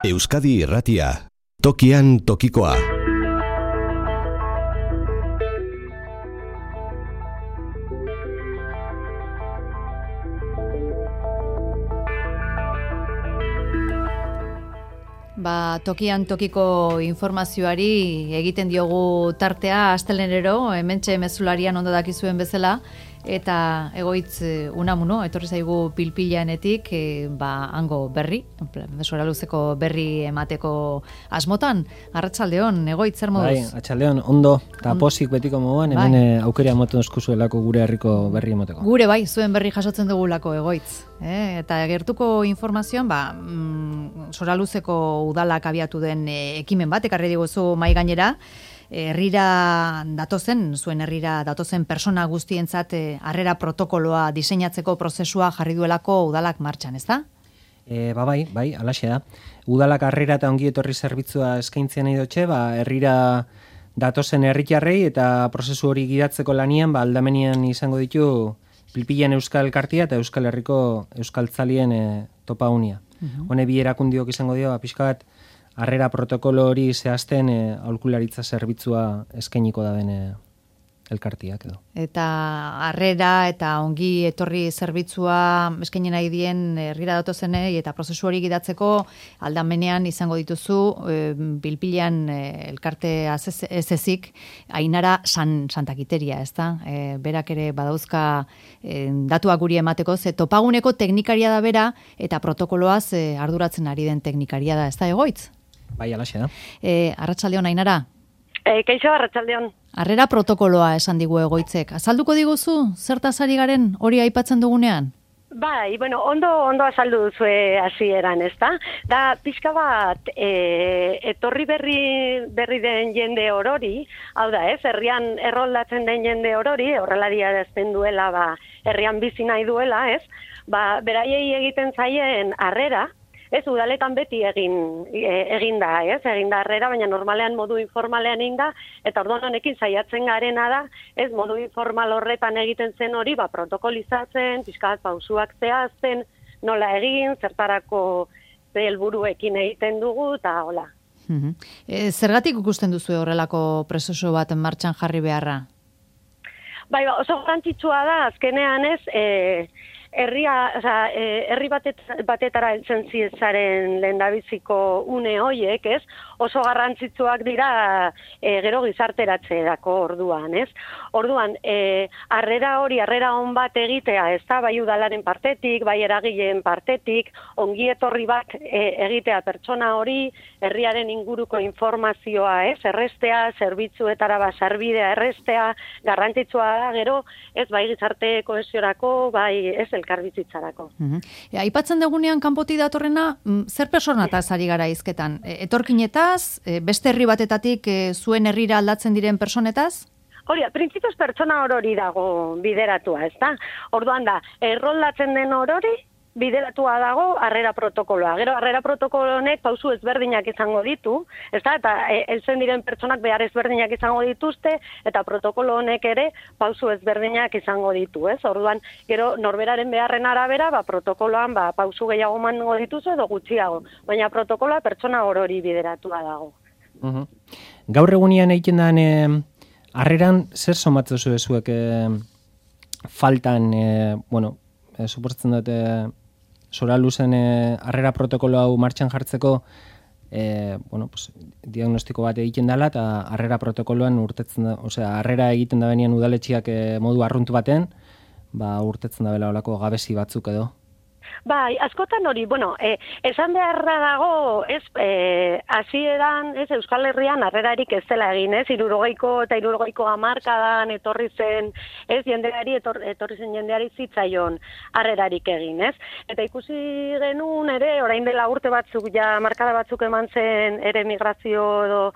Euskadi Irratia, tokian tokikoa. Tokian tokiko informazioari egiten diogu tartea astelenero, hementxe mezularian ondo dakizuen bezala, eta egoitz Unamuno, etorri zaigu pilpilanetik, hango berri, Soraluzeko berri emateko asmotan. Arratsaldeon, egoitz, zer moduz? Bai, arratsaldeon, ondo, eta posik betiko moduan, hemen aukera moten eskuzuelako gure herriko berri emateko. Gure bai, zuen berri jasotzen dugulako egoitz. Eta gertuko informazioan, Soraluzeko udalak abiatu den ekimen bat, ekarri diguzu mai gainera, zuen herrira datozen persona guztientzat harrera protokoloa diseinatzeko prozesua jarri duelako udalak martxan, ezta? Bai, alaxe da. Udalak harrera eta ongi etorri zerbitzua eskaintzen nahi dutxe, herrira datozen herritarrei eta prozesu hori gidatzeko lanian, aldamenean izango ditu Pilpilan Euskal Elkartea eta Euskal Herriko Euskaltzalien topa unia. Hone bi erakundiok izango dio, pixka bat, harrera protokolo hori zehazten aholkularitza zerbitzua eskainiko da den elkartiak edo. Eta harrera eta ongi etorri zerbitzua eskaini nahi dien herrira datozenei eta prozesu hori gidatzeko aldamenean izango dituzu Pilpilan elkarte ezezik Ainara Santakiteria, ezta? Berak ere badauzka datuak guri emateko, ze topaguneko teknikaria da bera eta protokoloaz arduratzen ari den teknikaria da, ezta egoitz? Bai, alaxe da. Arratsaldeon, Ainara. Kaixo, arratsaldeon. Harrera protokoloa esan digu egoitzek. Azalduko diguzu, zertaz ari garen hori aipatzen dugunean? Bai, ondo azaldu duzue hasieran, ezta? Da, pixka bat, etorri berri den jende orori, hau da, herrian erroldatzen den jende orori, horrelaria dezten duela, herrian bizi nahi duela, ez? Beraiei egiten zaien harrera, ez, udaletan beti egin da, ez? Egin da harrera, baina normalean modu informalean egin da, eta orduan honekin saiatzen garena da, ez, modu informal horretan egiten zen hori, protokolizatzen, pixkat pausuak zehazten, nola egin, zertarako helburuekin egiten dugu, eta hola. Zergatik ikusten duzu horrelako prozesu bat martxan jarri beharra? Bai, oso garrantzitsua da, azkenean ez, herri batetara heltzen zaren lehendabiziko une hoiek, ez? Oso garrantzitsuak dira gero gizarteratzerako orduan, ez? Orduan, harrera on bat egitea, ez da, bai udalaren partetik, bai eragileen partetik, ongi etorri bat egitea pertsona hori, herriaren inguruko informazioa, ez? Errestea, zerbitzuetara sarbidea errestea, garrantzitsua da, gero, ez bai gizarte kohesiorako, bai ez elkarbizitzarako. Aipatzen dugunean kanpotik datorrena, zer personataz ari gara hizketan? Etorkinetaz, beste herri batetatik zuen herrira aldatzen diren personetaz? Hori, printzipioz pertsona orori dago bideratua, ezta? Orduan da, erroldatzen den orori bideratua dago harrera protokoloa. Gero harrera protokolo honek pausu ezberdinak izango ditu, ezta? Eta heltzen diren pertsonak behar ezberdinak izango dituzte, eta protokolo honek ere pausu ezberdinak izango ditu, ez? Orduan, gero norberaren beharren arabera, protokoloan pausu gehiago emango dituzu edo gutxiago, baina protokoloa pertsona orori bideratua dago. Gaur egunean egiten den harreran zer somatzen zuek faltan, suposatzen dut Soraluzen harrera protokolo hau martxan jartzeko diagnostiko bat egiten dela eta harrera protokoloan urtetzen da, harrera egiten da benean udaletxiak modu arruntu baten, urtetzen da bela olako gabezi batzuk edo. Bai, askotan hori, esan beharra dago, ez, hasieran, ez, Euskal Herrian harrerarik ez dela egin, ez, 60 eta 70 hamarkadan etorri zen, ez, etorri zen jendeari zitzaion harrerarik egin, ez. Eta ikusi genuen ere, orain dela urte batzuk, hamarkada batzuk eman zen ere migrazio edo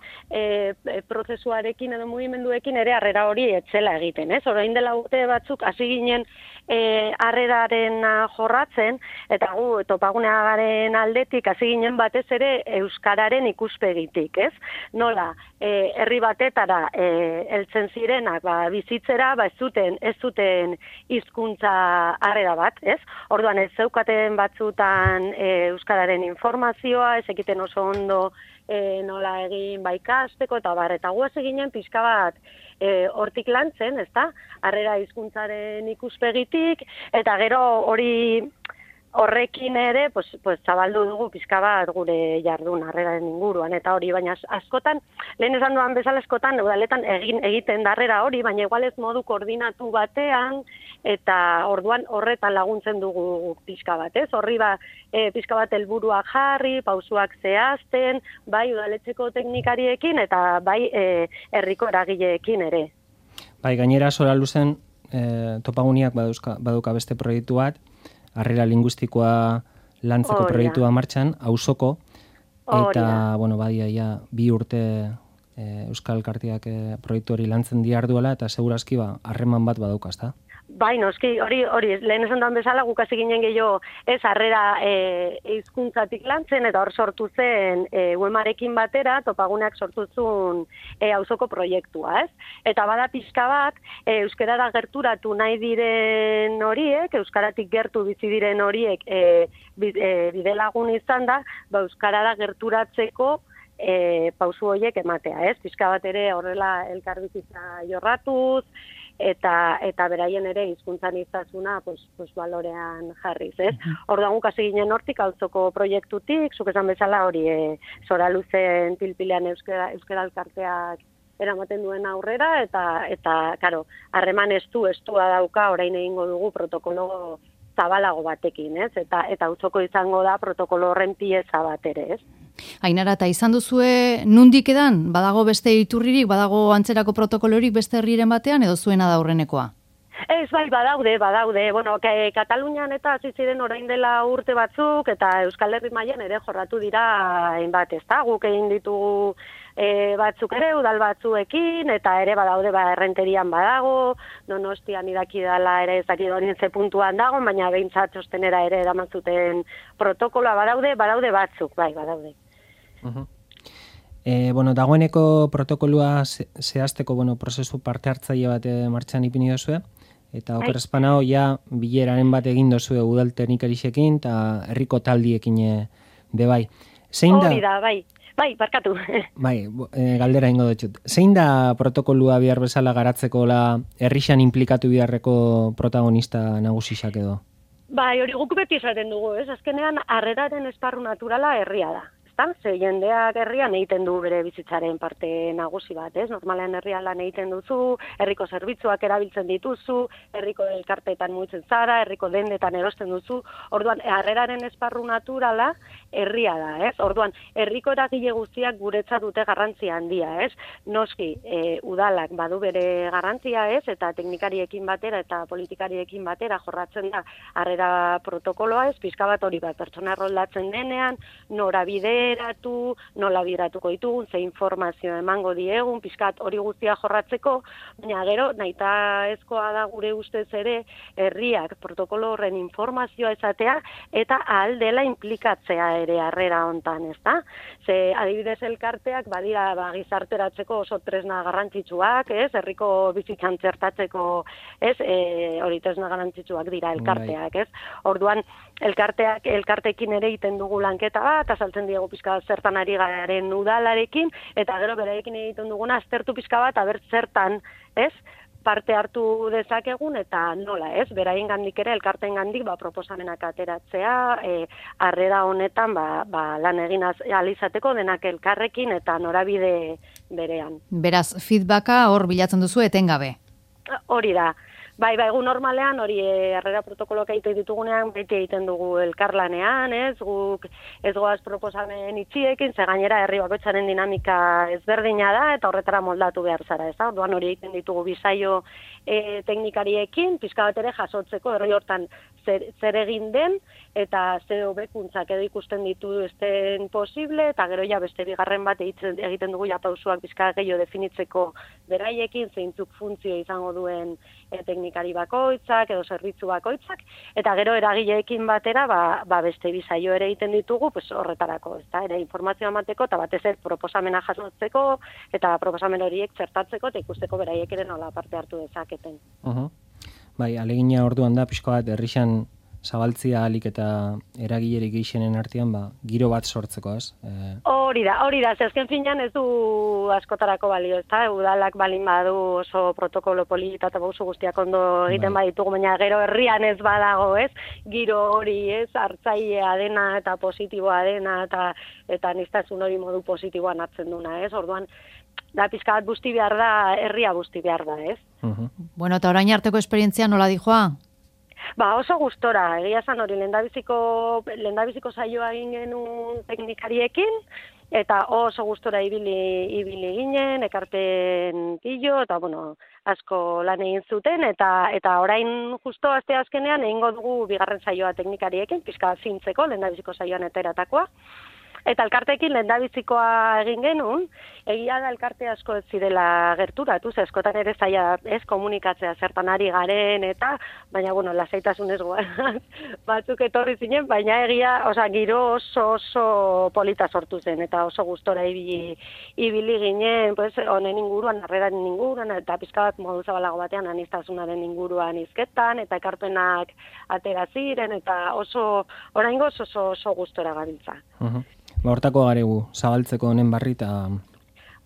prozesuarekin edo mugimenduekin ere harrera hori etzela egiten, ez. Orain dela urte batzuk hasi ginen harreraren jorratzen, eta gu topagunearen aldetik hasi ginen batez ere euskararen ikuspegitik, ez? Nola, herri batetara heltzen zirenak bizitzera, ez zuten hizkuntza harrera bat, ez? Orduan ez zeukaten batzutan euskararen informazioa, ez ekiten oso ondo nola egin ikasteko eta bar, eta guaz eginen pixka bat hortik lantzen, ezta? Harrera hizkuntzaren ikuspegitik, eta gero horrekin ere, pues zabaldu dugu pixka bat gure jardun harreraren inguruan, eta hori, baina askotan, lehen esan duan bezala askotan, udaletan egiten darrera hori, baina igual ez modu koordinatu batean, eta orduan horretan laguntzen dugu pixka bat, ez? Horri pixka bat helburuak jarri, pausuak zehazten, bai udaletxeko teknikariekin, eta bai herriko eragileekin ere. Bai, gainera Sora Luzen topaguniak baduka beste proiektu bat, harrera linguistikoa lantzeko proiektua martxan, auzoko, eta, bueno, badia, 2 urte Euskal Elkarteak proiektu hori lantzen diarduela, eta segurazki harreman bat badauka, ezta? Bai, noski, hori, lehen esan duan bezala, guk hasi ginen gehiago ez harrera hizkuntzatik lantzen, eta hor sortu zen UEMarekin batera, topaguneak sortu zuen auzoko proiektua, ez? Eta bada pixka bat, euskarara gerturatu nahi diren horiek, euskaratik gertu bizi diren horiek bidelagun izan da, euskarara gerturatzeko pausu horiek ematea, ez? Pixka bat ere horrela elkarbizitza jorratuz, eta beraien ere hizkuntzan iztasuna pues balorean jarriz, ez? Orduan guk hasi ginen hortik auzoko proiektutik, zuk esan bezala hori Sora Luzen pilpilean euskara elkarteak eramaten duen aurrera, eta karo, harreman estua dauka, orain egingo dugu protokolo zabalago batekin, ez? Eta auzoko izango da protokolo horren pieza bat ere, ez? Ainara, eta izan duzue nundik edan? Badago beste iturririk, badago antzerako protokolorik beste herriren batean, edo zuena da aurrenekoa? Ez, bai, badaude. Bueno, Katalunian eta hasi ziren orain dela urte batzuk, eta Euskal Herri mailan ere jorratu dira hainbat, ezta? Guk egin ditugu batzuk ere, udal batzuekin, eta ere badaude Errenterian badago, Donostian idaki dela ere ez dakit horien ze puntuan dago, baina behintzat txostenera ere eramantzuten protokoloa badaude batzuk, bai, badaude. Bueno, dagoeneko protokoloa zehazteko prozesu parte hartzaile bat martxan ipini dozue, eta oker espanao bileraren bat egin dozue udal teknikarixekin eta herriko taldiekin bebai. Hori da, bai, barkatu. Bai, galdera ingo dutxut. Zein da protokoloa bihar bezala garatzeko herrixan implikatu biharreko protagonista nagusisak edo? Bai, hori guk beti esaten dugu, ez? Azkenean harreraren esparru naturala herria da. Ze jendeak herrian egiten du bere bizitzaren parte nagusi bat, ez? Normalean herrian lan egiten duzu, herriko zerbitzuak erabiltzen dituzu, herriko elkarteetan mugitzen zara, herriko dendetan erosten duzu. Orduan, harreraren esparru naturala herria da, ez? Orduan, herriko eragile guztiak guretzat dute garrantzia handia, ez? Noski, udalak badu bere garrantzia, ez? Eta teknikariekin batera eta politikariekin batera jorratzen da harrera protokoloa, ez? Pixka bat hori bat, pertsona erroldatzen denean, norabide nola biratuko ditugun, ze informazio emango diegun, pixkat hori guztia jorratzeko, baina gero nahita ezkoa da gure ustez ere herriak protokolo horren informazioa ezatea eta ahal dela implikatzea ere harrera hontan, ezta? Ze adibidez elkarteak badira gizarteratzeko oso tresna garrantzitsuak, ez? Herriko bizitzan txertatzeko, ez? Hori tresna garrantzitsuak dira elkarteak, ez? Orduan elkarteekin ere egiten dugu lanketa bat, azaltzen diegu pixka zertan ari garen udalarekin, eta gero beraiekin egiten duguna aztertu pixka bat, aber zertan, ez? Parte hartu dezakegun eta nola, ez? Beraien gandik ere, elkarteen gandik, proposamenak ateratzea, harrera honetan, lan egin alizateko denak elkarrekin eta norabide berean. Beraz, feedbacka hor bilatzen duzu etengabe. Hori da. Bai, gu normalean, hori harrera protokoloak egiten ditugunean, beti egiten dugu elkarlanean, ez? Guk ez goaz proposamen itxiekin, ze gainera herri bakoitzaren dinamika ezberdina da, eta horretara moldatu behar zara, ez da? Orduan hori egiten ditugu bisaio teknikariekin, pixka bat ere jasotzeko, herri hortan zer egin den, eta ze hobekuntzak edo ikusten ditu esten posible, eta gero beste bigarren bat egiten dugu pausuak pixka gehiago definitzeko beraiekin, zeintzuk funtzio izango duen teknikariekin, teknikari bakoitzak edo zerbitzu bakoitzak, eta gero eragileekin batera beste bi saio ere egiten ditugu pues horretarako, ezta? Ere informazioa emateko eta batez ere proposamena jasotzeko eta proposamen horiek txertatzeko eta ikusteko beraiek ere nola parte hartu dezaketen. Bai, alegina orduan da pixko bat herrixan zabaltzia alik eta eragilerik gehixenen artean, giro bat sortzeko, ez? Hori da, azken finean ez du askotarako balio, ezta? Udalak balin badu oso protokolo polita eta oso guztiak ondo egiten baditugu, baina gero herrian ez badago, ez? Giro hori, ez? Hartzailea dena eta positiboa dena eta aniztasun hori modu positiboan hartzen duna, ez? Orduan, da pizka bat busti behar da, herria busti behar da, ez? Bueno, eta orain arteko esperientzia nola dijoa? Oso gustora, egia esan hori, lehendabiziko saioa egin genuen teknikariekin, eta oso gustora ibili ginen, ekarpen pilo, eta asko lan egin zuten, eta orain justo aste azkenean egingo dugu bigarren saioa teknikariekin, pizka zintzeko, lehendabiziko saioan eteratakoa. Eta elkarteekin lehendabizikoa egin genuen, egia da elkarte asko ez zirela gerturatu, eskotan ere zaila ez komunikatzea zertan ari garen, baina, lasaitasunez batzuk etorri zinen, baina egia, giro oso polita sortu zen, eta oso gustora ibili ginen, honen inguruan, harreraren inguruan, eta pizka bat modu zabalago batean aniztasunaren inguruan hizketan, eta ekarpenak atera ziren, eta oraingoz oso gustora gabiltza. Hortako garegu, zabaltzeko honen barri eta...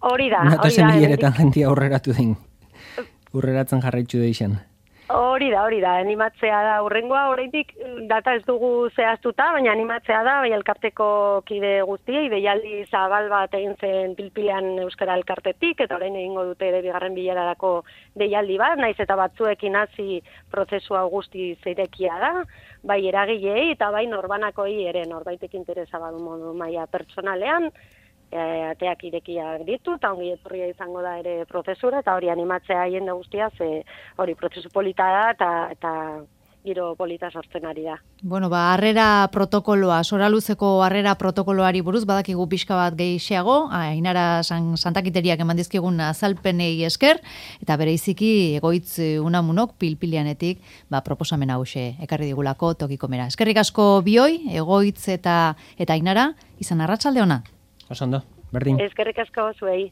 Hori da. Natozen bileretan jentia aurreratu den. Urreratzen jarraitzu deixen. Hori da, animatzea da. Urrengoa oraindik data ez dugu zehaztuta, baina animatzea da, bai elkarteko kide guztiei, deialdi zabal bat egin zen Pilpilean Euskara elkartetik, eta orain egingo dute ere bigarren bilerarako deialdi bat, naiz eta batzuekin hasi prozesua guzti zeirekia da, bai eragileei eta bai norbanakoi ere, norbaitek interesa badu modu maila pertsonalean, ateak irekiak ditu, eta ongi etorria izango da ere prozesura, eta hori animatzea jende guztia, hori prozesu polita da, eta giro polita sortzen ari da. Bueno, harrera protokoloa, Soraluzeko harrera protokoloari buruz, badakigu pixka bat gehiago, Ainara Santakiteriak eman dizkigun azalpenei esker, eta bereiziki Egoitz Unamunok Pilpileanetik proposamen hauxe ekarri digulako tokiko mera. Eskerrik asko bioi, Egoitz eta Ainara, izan arratsalde ona. Oso ondo, berdin. Eskerrik asko zuei.